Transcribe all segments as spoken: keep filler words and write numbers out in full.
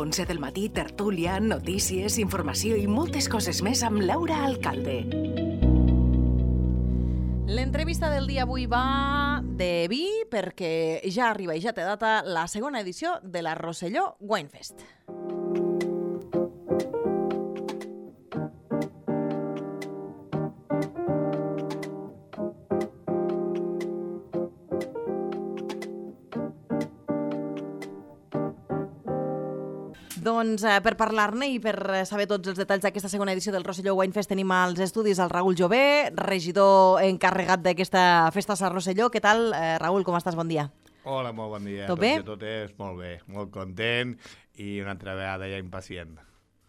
onze del matí, tertúlia, notícies, informació i moltes coses més amb Laura Alcalde. L'entrevista del dia avui va de vi perquè ja arriba i ja té data la segona edició de la Rosselló Winefest. Doncs eh, per parlar-ne i per saber tots els detalls d'aquesta segona edició del Rosselló Winefest tenim als estudis el Raül Jové, regidor encarregat d'aquesta festa a Rosselló. Què tal, eh, Raül, com estàs? Bon dia. Hola, molt bon dia. Tot bé? Tot, tot és molt bé, molt content i una altra vegada ja impacient.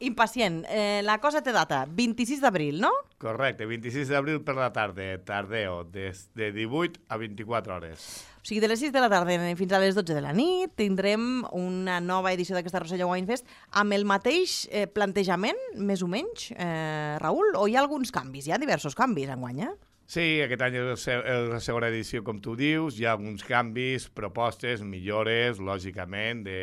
Impacient. Eh, la cosa té data, vint-i-sis d'abril, no? Correcte, vint-i-sis d'abril per la tarda, tardeo, des de divuit a vint-i-quatre hores. O sigui, de les sis de la tarda fins a les dotze de la nit tindrem una nova edició d'aquesta Rosselló Winefest amb el mateix eh, plantejament, més o menys, eh, Raül, o hi ha alguns canvis? Hi ha diversos canvis enguany, eh? Sí, aquest any és la segona edició, com tu dius, hi ha alguns canvis, propostes, millores, lògicament, de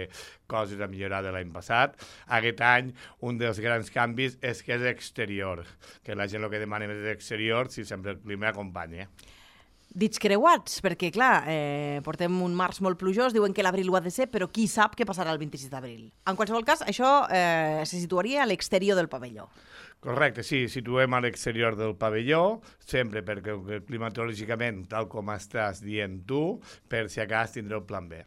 coses a millorar de l'any passat. Aquest any, un dels grans canvis és que és exterior, que la gent el que demana és exterior si sempre el clima acompanya. Dits creuats, perquè, clar, eh, portem un març molt plujós, diuen que l'abril ho ha de ser, però qui sap què passarà el vint-i-sis d'abril. En qualsevol cas, això eh, se situaria a l'exterior del pavelló. Correcte, sí, situem a l'exterior del pavelló, sempre perquè climatològicament, tal com estàs dient tu, per si acas tindré el plan B.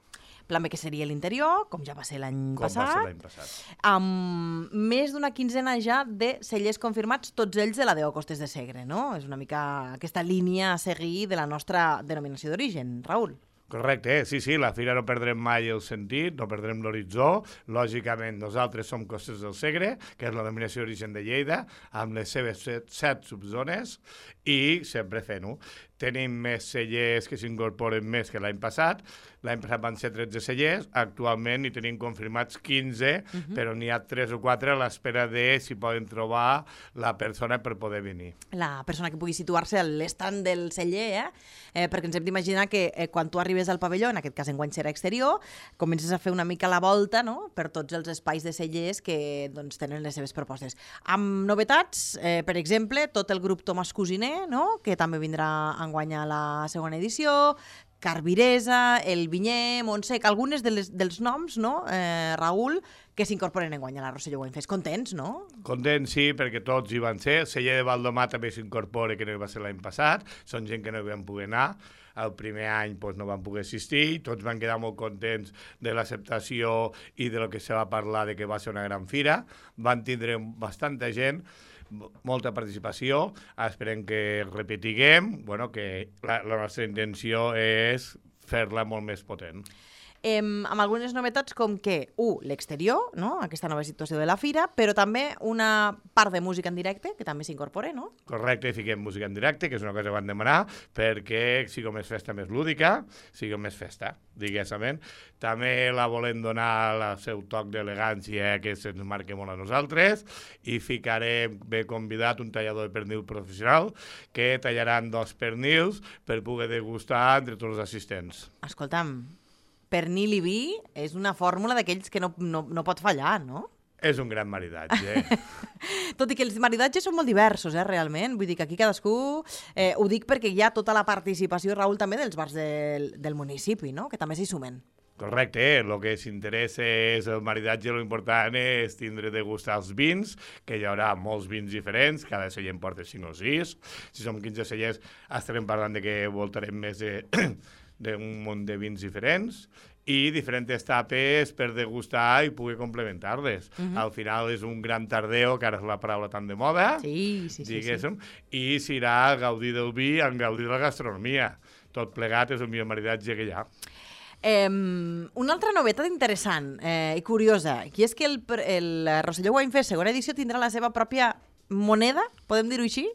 Plan B que seria l'interior, com ja va ser l'any passat. Com va ser l'any passat. Amb més d'una quinzena ja de cellers confirmats, tots ells de la D O Costes de Segre, no? És una mica aquesta línia a seguir de la nostra denominació d'origen, Raül. Correcte, eh? sí, sí, la fira no perdrem mai el sentit, no perdrem l'horitzó. Lògicament, nosaltres som Costes del Segre, que és la denominació d'origen de Lleida, amb les seves set, set subzones, i sempre fent-ho. Tenim més cellers que s'incorporen més que l'any passat. L'any passat van ser tretze cellers, actualment n'hi tenim confirmats quinze, uh-huh. però n'hi ha tres o quatre a l'espera de si poden trobar la persona per poder venir. La persona que pugui situar-se a l'estand del celler, eh? eh perquè ens hem d'imaginar que eh, quan tu arribes al pavelló, en aquest cas enguany serà exterior, comences a fer una mica la volta, no?, per tots els espais de cellers que doncs, tenen les seves propostes. Amb novetats, eh, per exemple, tot el grup Tomàs Cosiner, no?, que també vindrà enguany a la segona edició, Carviresa, El Vinyer, Montsec, algunes de les, dels noms, no, eh, Raül, que s'incorporen enguany a la Rosselló Winefest. Contents, no? Contents, sí, perquè tots hi van ser. El celler de Valdomar també s'incorpora, que no hi va ser l'any passat. Són gent que no hi van poder anar. El primer any doncs, no van poder assistir. Tots van quedar molt contents de l'acceptació i de lo que se va parlar de que va ser una gran fira. Van tindre bastanta gent, molta participació, esperem que repetiguem, bueno, que la, la nostra intenció és fer-la molt més potent. Eh, amb algunes novetats com que, u, l'exterior, no?, aquesta nova situació de la fira, però també una part de música en directe, que també s'incorpora, no? Correcte, fiquem música en directe, que és una cosa que van demanar, perquè sigui més festa més lúdica, sigui més festa, diguéssim. També la volem donar el seu toc d'elegància, que se'ns marca molt a nosaltres, i ficarem bé convidat un tallador de pernil professional, que tallaran dos pernils per poder degustar entre tots els assistents. Escolta'm, pernil i vi és una fórmula d'aquells que no, no, no pot fallar, no? És un gran maridatge. Tot i que els maridatges són molt diversos, eh, realment. Vull dir que aquí cadascú... Eh, ho dic perquè hi ha tota la participació, Raül, també dels bars del, del municipi, no?, que també s'hi sumen. Correcte, eh? El que s'interessa és el maridatge, l'important és tindre de gustar els vins, que hi haurà molts vins diferents, cada celler en porta cinc o sis. Si som quinze cellers, estarem parlant de que voltarem més de... d'un munt de vins diferents i diferents tapes per degustar i poder complementar-les. Uh-huh. Al final és un gran tardeo, que ara és la paraula tan de moda, sí, sí, sí, diguéssim, sí. I s'irà gaudir del vi en gaudir de la gastronomia. Tot plegat és el millor maridatge que hi ha. Eh, una altra novetat interessant eh, i curiosa, que és que el, el Rosselló Winefest segona edició tindrà la seva pròpia moneda, podem dir-ho així?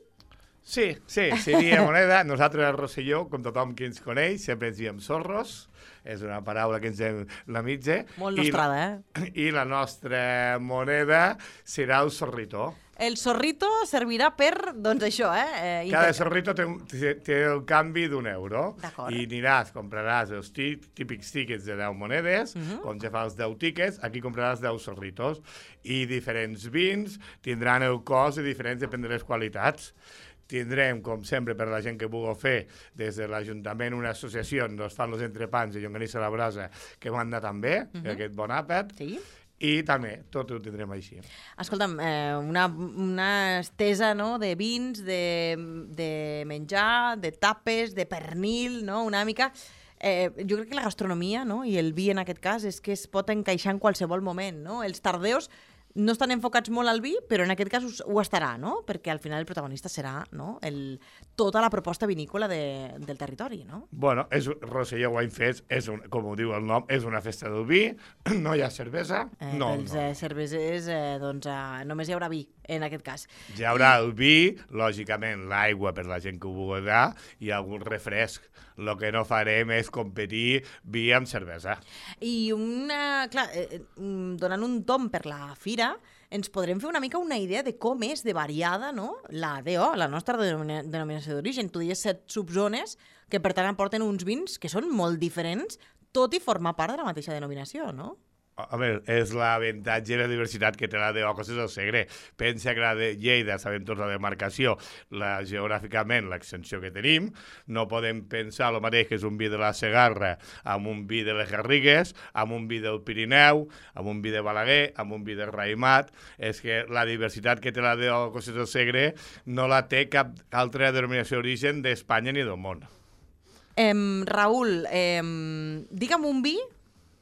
Sí, sí, seria moneda. Nosaltres a Rosselló, com tothom que ens coneix, sempre ens diem zorros. És una paraula que ens hem la mitja. Molt nostrada, eh? I la nostra moneda serà el zorrito. El zorrito servirà per, doncs això, eh? eh Cada inter- zorrito té, un- té, té el canvi d'un euro. D'acord. I aniràs, compraràs els tí, típics tíquets de deu monedes, uh Mhm. -huh. com se fa els deu tíquets, aquí compraràs deu zorritos. I diferents vins tindran el cost de diferents, depèn de les qualitats. Tindrem, com sempre, per la gent que vulgui fer, des de l'Ajuntament una associació on es fan els entrepans i llonganissa a la brasa, que manda també, uh -huh. aquest bon àpat, Sí. i també tot ho tindrem així. Escolta'm, eh, una, una estesa, no?, de vins, de, de menjar, de tapes, de pernil, no?, una mica... Eh, jo crec que la gastronomia, no?, i el vi en aquest cas, és que es pot encaixar en qualsevol moment, no? Els tardeus no estan enfocats molt al vi, però en aquest cas ho, ho estarà, no? Perquè al final el protagonista serà, no?, el, tota la proposta vinícola de, del territori, no? Bueno, és, Rosselló Wine Fest, és un, com ho diu el nom, és una festa del vi, no hi ha cervesa, Eh, no, pels no. eh, cervesers, eh, doncs, eh, només hi haurà vi, en aquest cas. Hi haurà el vi, lògicament l'aigua per la gent que ho vulgui i algun refresc. El que no farem és competir vi amb cervesa. I una, clar, eh, mm, donant un tom per la fira, ens podrem fer una mica una idea de com és de variada, no?, la D O, la nostra denomina denominació d'origen. Tu dius set subzones que per tant aporten uns vins que són molt diferents, tot i formar part de la mateixa denominació, no? A veure, és l'avantatge i la diversitat que té la de Ocos del Segre. Pensa que la de Lleida, sabem tots la demarcació, la, geogràficament l'extensió que tenim, no podem pensar el mateix que és un vi de la Segarra amb un vi de les Garrigues, amb un vi del Pirineu, amb un vi de Balaguer, amb un vi de Raïmat. És que la diversitat que té la de Ocos del Segre no la té cap altra denominació d'origen d'Espanya ni del món. Em, Raül, em, digue'm un vi,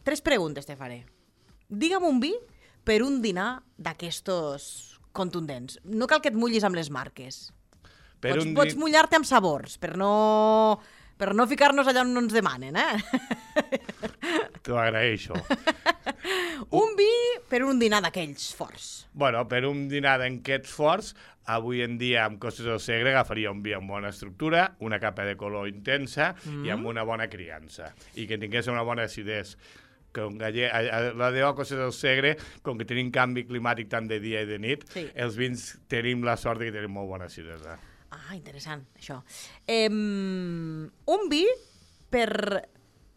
tres preguntes te faré. Digue'm un vi per un dinar d'aquestos contundents. No cal que et mullis amb les marques. Per pots un pots di- mullar-te amb sabors, per no, per no ficar-nos allà on no ens demanen, eh? T'ho agraeixo. Un vi per un dinar d'aquells forts. Bueno, per un dinar d'aquests forts, avui en dia amb Costes del Segre agafaria un vi amb bona estructura, una capa de color intensa mm. i amb una bona criança. I que tingués una bona acidesa. Com galle... La de Costes del Segre, com que tenim canvi climàtic tant de dia i de nit, Sí. els vins tenim la sort de que tenim molt bona acidesa. Ah, interessant, això. Eh, un vi per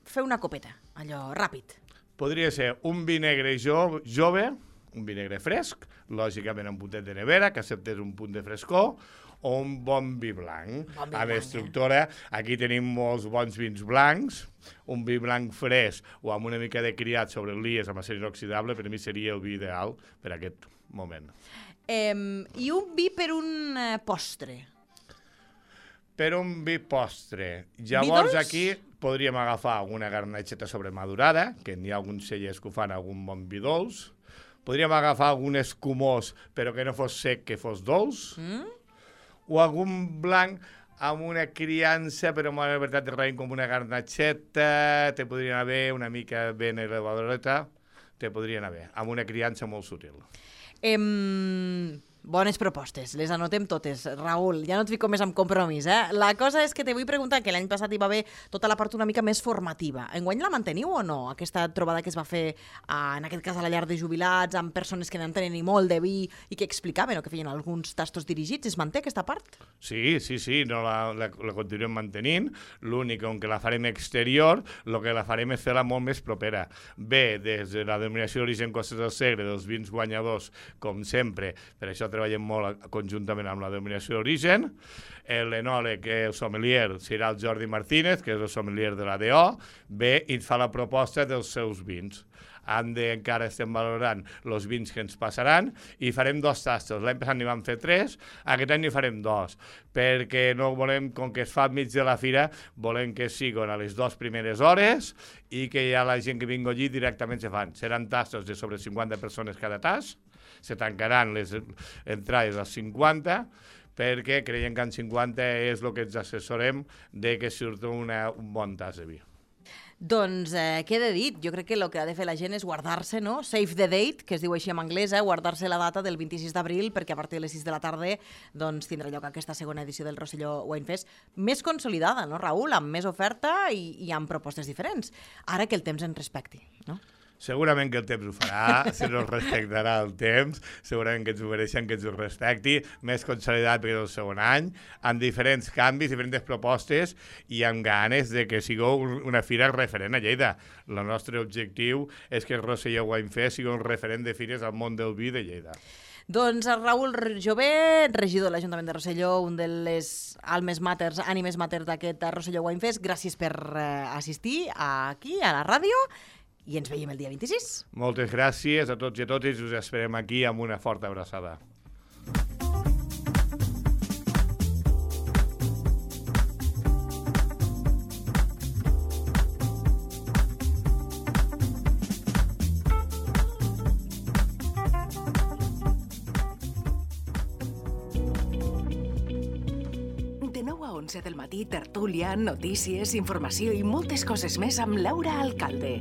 fer una copeta, allò, ràpid. Podria ser un vi negre jo, jove, un vi negre fresc, lògicament amb puntet de nevera, que acceptés un punt de frescor, o un bon vi blanc. Bon vi amb blanc, estructura, aquí tenim molts bons vins blancs, un vi blanc fresc o amb una mica de criat sobre lies amb acer inoxidable, per mi seria el vi ideal per a aquest moment. Eh, I un vi per un eh, postre. Per un vi postre. Llavors dolç? aquí podríem agafar una garnatxeta sobremadurada, que n'hi ha alguns cellers que ho fan algun bon vi dolç. Podríem agafar algun escumós, però que no fos sec, que fos dolç. Mm? O algun blanc amb una criança, però amb una veritat de raïm com una garnatxeta, te podrien haver una mica ben elevadoreta, te podrien haver, amb una criança molt sutil. Eh, bones propostes, les anotem totes. Raül, ja no et fico més amb compromís, eh? La cosa és que te vull preguntar, que l'any passat hi va haver tota la part una mica més formativa. Enguany la manteniu o no? Aquesta trobada que es va fer, ah, en aquest cas a la llar de jubilats, amb persones que n'entenen i molt de vi i que explicaven o que feien alguns tastos dirigits, es manté aquesta part? Sí, sí, sí, no la, la, la continuem mantenint. L'únic, on que la farem exterior, el que la farem és fer-la molt més propera. Bé, des de la denominació d'origen Costes del Segre, dels vins guanyadors, com sempre, per això treballem molt conjuntament amb la denominació d'origen. L'enòleg, el sommelier, serà el Jordi Martínez, que és el sommelier de la D O, ve i ens fa la proposta dels seus vins. Han de, encara estem valorant els vins que ens passaran i farem dos tastos. L'any passat n'hi vam fer tres, aquest any n'hi farem dos, perquè no volem, com que es fa enmig de la fira, volem que siguin a les dues primeres hores i que ja la gent que vingui allí directament se fan. Seran tastos de sobre cinquanta persones cada tas, se tancaran les entrades als cinquanta, perquè creiem que en cinquanta és el que ens assessorem de que surti una, un bon tas de vi. Doncs eh, què he de dir? Jo crec que el que ha de fer la gent és guardar-se, no? Save the date, que es diu així en anglès, eh? Guardar-se la data del vint-i-sis d'abril, perquè a partir de les sis de la tarda doncs, tindrà lloc aquesta segona edició del Rosselló Wine Fest, més consolidada, no, Raül? Amb més oferta i, i amb propostes diferents. Ara que el temps ens respecti, no? Segurament que el temps ho farà, si no es respectarà el temps, segurament que ens ho mereixen, que ens ho respecti, més consolidat perquè és el segon any, amb diferents canvis, diferents propostes i amb ganes de que sigueu una fira referent a Lleida. El nostre objectiu és que el Rosselló Wine Fest sigui un referent de fires al món del vi de Lleida. Doncs el Raül Jové, regidor de l'Ajuntament de Rosselló, un de les almes maters, ànimes maters d'aquest Rosselló Wine Fest, gràcies per eh, assistir aquí, a la ràdio, i ens veiem el dia vint-i-sis. Moltes gràcies a tots i a totes i us esperem aquí amb una forta abraçada. De nou a onze del matí, tertúlia, notícies, informació i moltes coses més amb Laura Alcalde.